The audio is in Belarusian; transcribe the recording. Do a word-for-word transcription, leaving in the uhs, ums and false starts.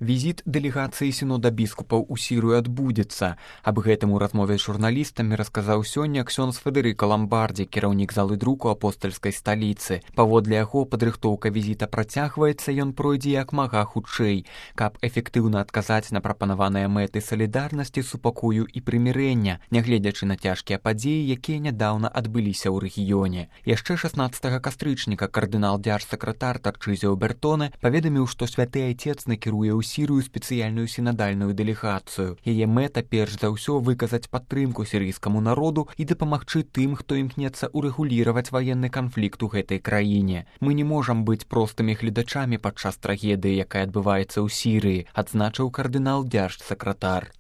Візіт дэлегацыі сінода біскупаў у Сірыю адбудзецца. Аб гэтым у размове з журналістамі расказаў сёння ксёндз Федэрыка Ламбардзі, кіраўнік залы друку апостальскай сталіцы. Паводле яго, падрыхтоўка візіта працягваецца, ён пройдзе як мага хутчэй, каб эфектыўна адказаць на прапанаваныя мэты салідарнасці, супакою і прымірэння, нягледзячы на цяжкія падзеі, якія нядаўна адбыліся ў рэгіёне. Яшчэ шаснаццатага кастрычніка кардынал дзярж-сакратар Тарчызіо Бертоне паведаміў, што святы айцец накіруе ў Сірыю спецыяльную сінадальную дэлегацыю. Яе мэта перш за ўсё выказаць падтрымку сірыйскаму народу і дапамагчы тым, хто імкнецца урэгуліраваць ваенны канфлікт у гэтай краіне. Мы не можам быць простымі гледачамі падчас трагедыі, якая адбываецца ў Сірыі, адзначыў кардынал дзярж-сакратар.